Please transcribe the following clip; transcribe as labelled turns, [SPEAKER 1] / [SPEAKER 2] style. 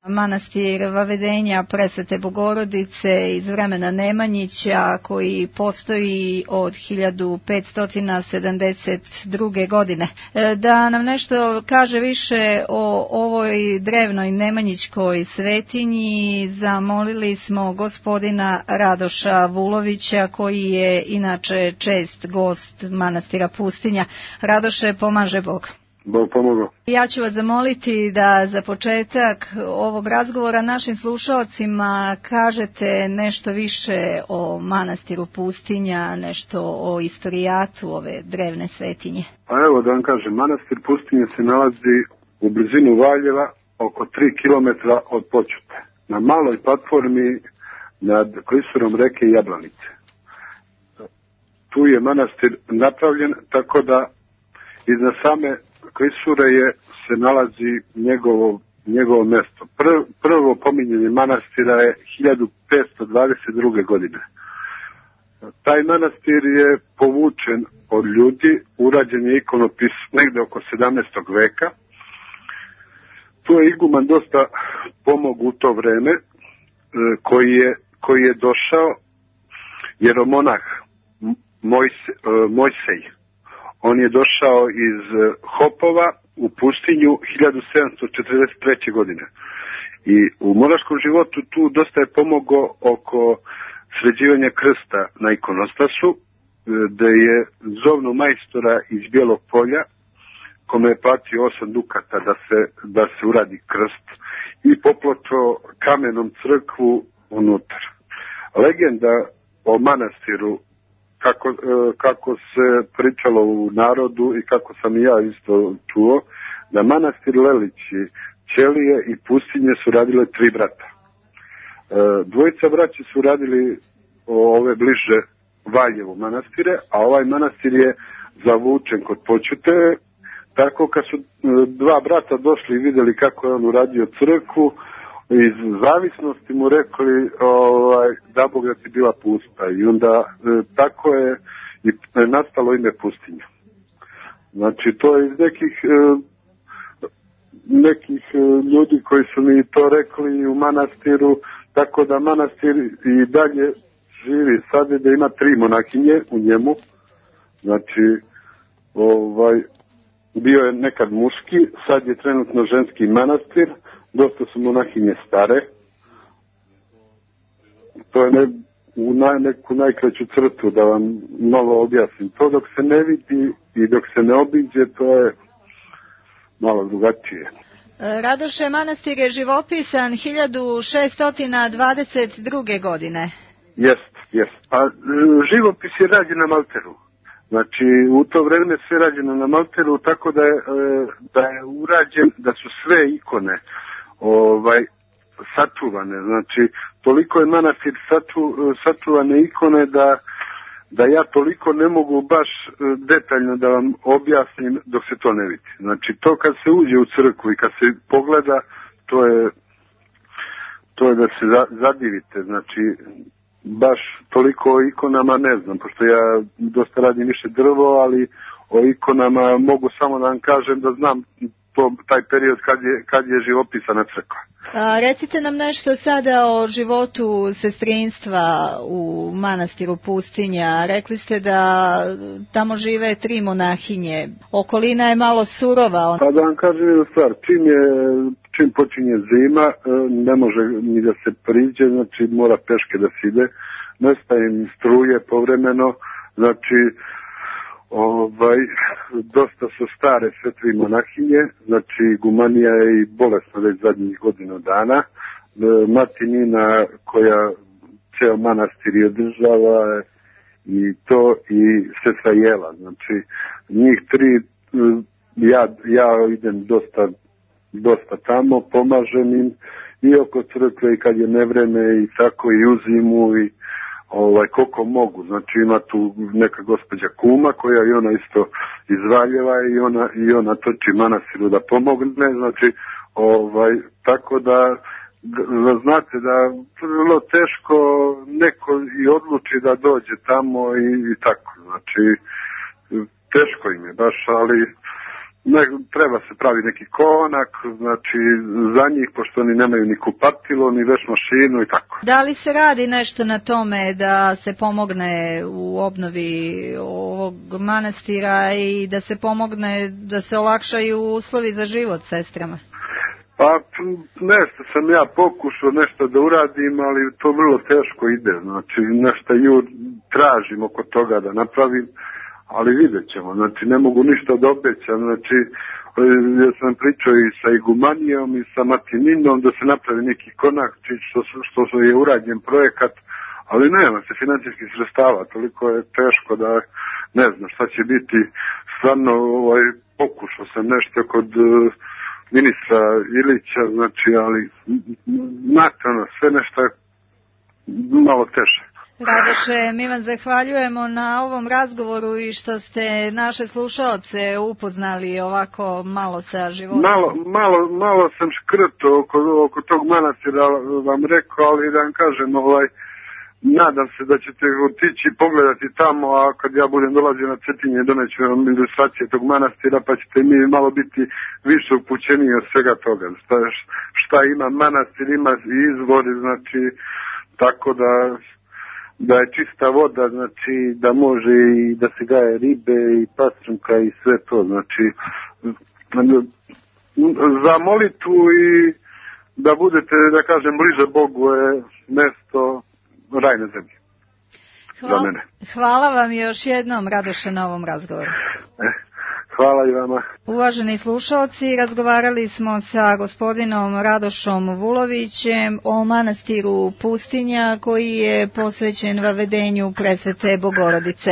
[SPEAKER 1] Manastir Vavedenja Presvete Bogorodice iz vremena Nemanjića koji postoji od 1572. godine. Da nam nešto kaže više o ovoj drevnoj nemanjićkoj svetinji, zamolili smo gospodina Radoša Vulovića koji je inače čest gost manastira Pustinja. Radoše, pomaže Bog.
[SPEAKER 2] Bog pomogao.
[SPEAKER 1] Ja ću vas zamoliti da za početak ovog razgovora našim slušalcima kažete nešto više o manastiru Pustinja, nešto o istorijatu ove drevne svetinje.
[SPEAKER 2] Pa evo da vam kažem, manastir Pustinja se nalazi u blizinu Valjeva, oko 3 km od Počute, na maloj platformi nad klisurom reke Jablanice. Tu je manastir napravljen tako da iznad same klisure se nalazi njegovo mesto. Prvo pominjanje manastira je 1522. godine. Taj manastir je povučen od ljudi, urađen je ikonopis negde oko 17. veka. Tu je iguman dosta pomogao u to vreme, koji je došao jeromonah Mojsej. On je došao iz Hopova u pustinju 1743. godine. I u monaškom životu tu dosta je pomogao oko sređivanja krsta na ikonostasu, gde je zovnu majstora iz Bijelog Polja, kome je platio 8 dukata da se uradi krst, i popločio kamenom crkvu unutar. Legenda o manastiru, kako se pričalo u narodu i kako sam i ja isto čuo, da manastir Lelići, Ćelije i Pustinje su radile 3 brata. Dvojica braći su radili ove bliže Valjevu manastire, a ovaj manastir je zavučen kod Počute. Tako kad su 2 brata došli i vidjeli kako je on uradio crkvu, iz zavisnosti mu rekli da Bog da ti bila pusta, i onda tako je i nastalo ime Pustinja. Znači to je iz nekih ljudi koji su mi to rekli u manastiru, tako da manastir i dalje živi. Sad je da ima 3 monahinje u njemu, znači bio je nekad muški, sad je trenutno ženski manastir. Dosta su monahinje stare. To je neku najkraću crtu da vam malo objasnim. To dok se ne vidi i dok se ne obiđe, to je malo drugačije.
[SPEAKER 1] Radoše, manastir je živopisan 1622. godine.
[SPEAKER 2] Jest. A živopis je rađen na malteru. Znači, u to vreme sve rađeno na malteru, tako da je urađen, da su sve ikone sačuvane. Znači, toliko je manastir sačuvane ikone da ja toliko ne mogu baš detaljno da vam objasnim dok se to ne vidi. Znači, to kad se uđe u crkvu i kad se pogleda, to je da se zadivite. Znači, baš toliko o ikonama ne znam, pošto ja dosta radim više drvo, ali o ikonama mogu samo da vam kažem da znam taj period kad je živopisana crkva.
[SPEAKER 1] Recite nam nešto sada o životu sestrinstva u manastiru Pustinja. Rekli ste da tamo žive 3 monahinje. Okolina je malo surova.
[SPEAKER 2] Pa da vam kažem jednu stvar, čim počinje zima, ne može ni da se priđe, znači mora peške da se ide, nestaje im struje povremeno, znači dosta su stare sve 3 monahinje, znači gumanija je i bolesna već zadnjih godina dana. Mati Nina koja ceo manastir je održava i to, i sestra Jela, znači njih 3, ja idem dosta tamo, pomažem im i oko crkve i kad je nevreme i tako i u zimu i koliko mogu. Znači ima tu neka gospođa kuma koja i ona isto iz Valjeva i ona trči manastiru da pomogne, znači tako da znate da vrlo teško neko i odluči da dođe tamo i tako, znači teško im je baš, ali treba se pravi neki konak, znači za njih, pošto oni nemaju ni kupatilo, ni veš mašinu i tako.
[SPEAKER 1] Da li se radi nešto na tome da se pomogne u obnovi ovog manastira i da se pomogne, da se olakšaju uslovi za život sestrama?
[SPEAKER 2] Pa nešto sam ja pokušao nešto da uradim, ali to vrlo teško ide, znači nešto tražim oko toga da napravim, ali vidjet ćemo, znači ne mogu ništa da obećam, znači ja sam pričao i sa igumanijom i sa Martininom da se napravi neki konak, što je urađen projekat, ali nema se financijskih sredstava, toliko je teško da ne znam šta će biti, stvarno pokušao sam nešto kod ministra Ilića, znači, ali nakon sve nešto je malo teže.
[SPEAKER 1] Radoše, mi vam zahvaljujemo na ovom razgovoru i što ste naše slušaoce upoznali ovako malo sa životom. Malo
[SPEAKER 2] sam škrto oko tog manastira vam rekao, ali da vam kažem, nadam se da ćete otići pogledati tamo, a kad ja budem dolazio na Cetinje doneću vam ilustracije tog manastira, pa ćete mi malo biti više upućeniji od svega toga. Šta ima manastir, ima izvor, znači tako da je čista voda, znači da može i da se gaje ribe i pastrunka i sve to, znači za molitvu i da budete, da kažem, bliže Bogu je mesto raj na zemlji.
[SPEAKER 1] Hvala vam još jednom, Radoše, na ovom razgovoru.
[SPEAKER 2] Hvala i vama.
[SPEAKER 1] Uvaženi slušalci, razgovarali smo sa gospodinom Radošom Vulovićem o manastiru Pustinja koji je posvećen vavedenju Presvete Bogorodice.